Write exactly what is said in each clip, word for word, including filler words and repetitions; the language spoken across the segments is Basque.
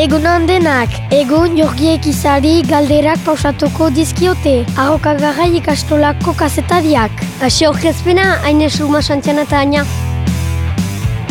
Egunon denak, egun jorgiek izari galderak pausatuko dizkiote, arrokagarrai ikastolako kazetariak. Asi orkezpena, haine suma xantziana eta aina.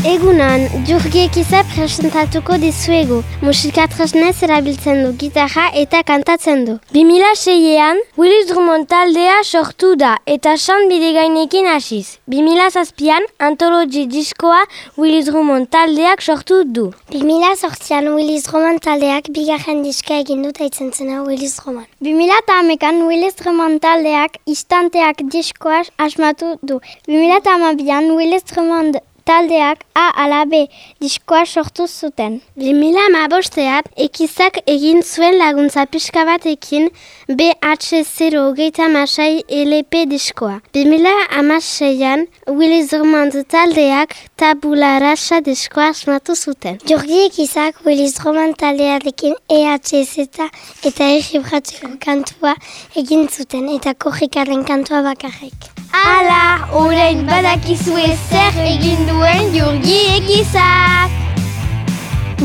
Egunan, Jurgiek izar presentatuko dizuegu. Musika tresnez erabiltzen du, gitarra eta kantatzen du. bi mila seian, Willis Drummond taldea sortu da eta san bidegainekin hasiz. bi mila zazpian, Anthology diskoa Willis Drummond taldeak sortu du. bi mila zortzian, Willis Drummond taldeak bigarren diska egin dut aitzen zena Willis Drummond. bi mila hamakan, Willis Drummond taldeak istanteak diskoa asmatu du. bi mila hamabian, Willis Drummond taldeak A ala B diskoa sortu zuten. bi mila hamabostean ekizak egin zuen laguntza pixka batekin B H zero hogeita hamasei L P diskoa. bi mila hamaseian Willis Drummond taldeak Tabula Rasa diskoa asmatu zuten. Jorgi ekizak Willis Drummond taldearekin E H Z eta Egibratzeko kantua egin zuten eta korrikaren kantua bakarrik. Ala, orain badakizue zer egin duen Jurgi ekizak!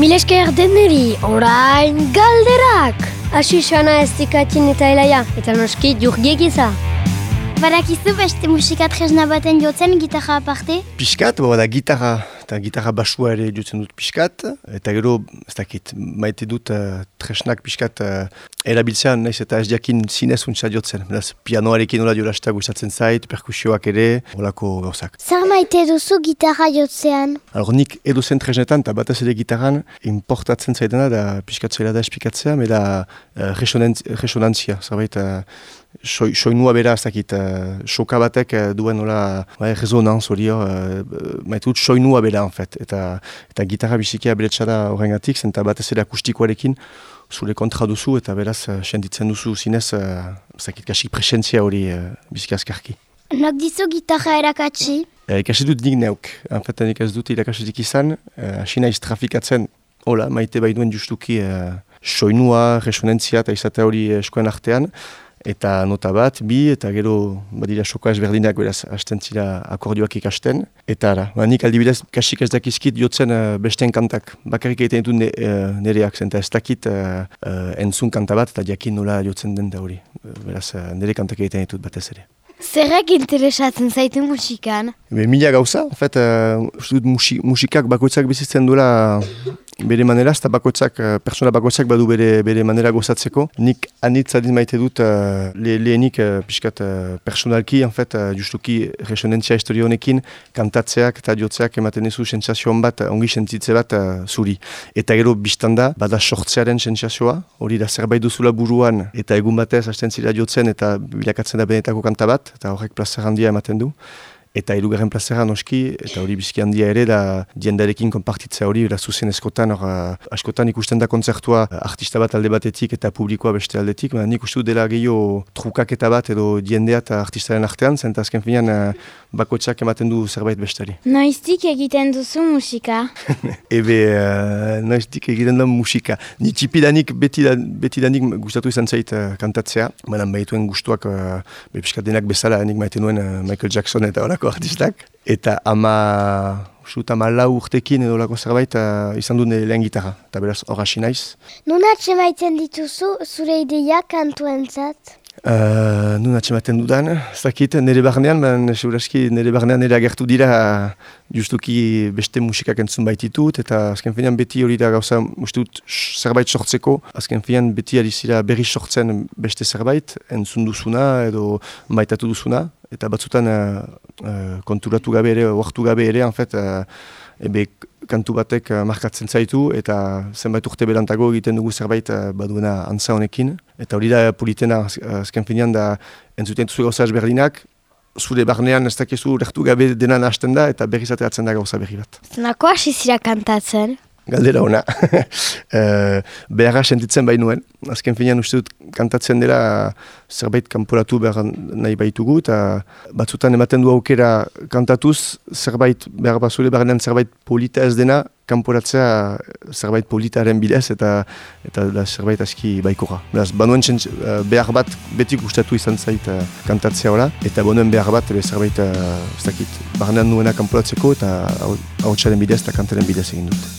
Mil esker deneri, orain galderak! Asi xana ez dikatzen eta elaia, eta noski Jurgi ekiza. Badakizu beste musika tresna baten jotzen gitarra aparte? Piskat, bada gitarra eta gitarra basua ere jotzen dut piskat, eta gero, ez dakit, maite dut uh, tresnak piskat uh, erabiltzean, naiz eta ez diakin zinez untsa jotzen. Beraz, pianoarekin hola jolasta gustatzen zait, perkusioak ere, holako gauzak. Zer maite duzu gitarra jotzean? Alor, nik edozen tresnetan, eta batez ere gitarran, importatzen zaitena, da piskat zaila da espikatzea, meda uh, resonantzia, zerbait, uh, Soi, soinua bera, ez dakit, uh, soka batek uh, duen hola bai, resonanz hori hor, uh, maite dut soinua bera, en fet. Eta, eta gitarra bizikia beretxada horrengatik, zenta batez ere akustikoarekin zure kontra duzu, eta beraz, uh, senditzen duzu zinez, uh, ez dakit, kasik presentzia hori uh, biziki azkarki. Nok dizu gitarra erakatsi? Uh, ikasi dut nik neuk, en fet, nik ez dut irakasitik izan, uh, hasi naiz trafikatzen, hola, maite bai duen justuki uh, soinua, resonantzia eta izatea hori eskoen artean, eta nota bat, bi, eta gero badira soka ezberdinak beraz hasten zira akordioak ikasten. Eta ara, ba, nik aldibidez kasik ez dakizkit jotzen uh, besteen kantak. Bakarrik egiten ditut ne, uh, nereak zen, eta ez dakit uh, uh, entzun kanta bat, eta jakin nola jotzen den da hori. Uh, beraz, uh, nere kantak egiten ditut batez ere. Zerrek interesatzen zaitu musikan? Be, mila gauza, en fet, uh, musi, musikak bakoitzak bizitzen duela bere manera, eta bakoitzak, uh, persona bakoitzak badu bere, bere manera gozatzeko. Nik anitz adin maite dut uh, le, lehenik uh, pixkat uh, personalki, en fet, uh, justuki resonantzia historia honekin, kantatzeak eta jotzeak ematen ezu sentsazioan bat, ongi sentzitze bat uh, zuri. Eta gero biztanda, bada sortzearen sentsazioa, hori da zerbait duzula buruan, eta egun batez hasten zira jotzen eta bilakatzen da benetako kanta bat, eta horrek plazer handia ematen du. Eta hirugarren plazera noski, eta hori biziki handia ere, da diendarekin konpartitzea hori, da zuzen eskotan, hor, askotan ikusten da kontzertua artista bat alde batetik eta publikoa beste aldetik, baina nik uste dut dela gehiago trukaketa bat edo diendea eta artistaren artean, zenta azken finean bakoitzak ematen du zerbait bestari. Noiztik egiten duzu musika? Ebe, uh, noiztik egiten da musika. Ni txipidanik, betidanik gustatu izan zait uh, kantatzea, baina bahituen gustuak, uh, bepiskat denak bezala, nik maite nuen uh, Michael Jackson eta horako artistak. Eta ama, usut, ama lau urtekin edo lako zerbait uh, izan dut lehen gitarra, eta beraz hor hasi naiz. Nun atxemaiten dituzu zure ideia kantuentzat? Uh, nun atxematen dudan, zakit, nire barnean, ben, seguraski nire barnean nire agertu dira justuki beste musikak entzun baititut, eta azken finean beti hori da gauza, ustut, zerbait sortzeko, azken finean beti ari zira berri sortzen beste zerbait, entzun duzuna edo maitatu duzuna, eta batzutan uh, uh, konturatu gabe ere, oartu gabe ere, en fet, uh, ebe kantu batek uh, markatzen zaitu, eta zenbait urte berantago egiten dugu zerbait uh, baduena antza honekin. Eta hori da politena, azken finean da entzuten duzu gauza ezberdinak, zure barnean ez dakizu lehtu gabe denan hasten da, eta berriz ateratzen da gauza berri bat. Nako hasi zira kantatzen? Galdera ona. uh, Beharra sentitzen bainuen. Azken finean uste dut kantatzen dela zerbait kanporatu behar nahi baitugu, eta batzutan ematen du aukera kantatuz, zerbait behar bazule barnean zerbait polita ez dena, kanporatzea zerbait politaren bidez, eta eta da zerbait aski baikora. Beraz, banuen txentz, uh, behar bat beti gustatu izan zait uh, kantatzea hola, eta banuen behar bat ebe, zerbait uh, ez dakit, barnean nuena kanporatzeko, eta hau txaren bidez eta kantaren bidez egin dut.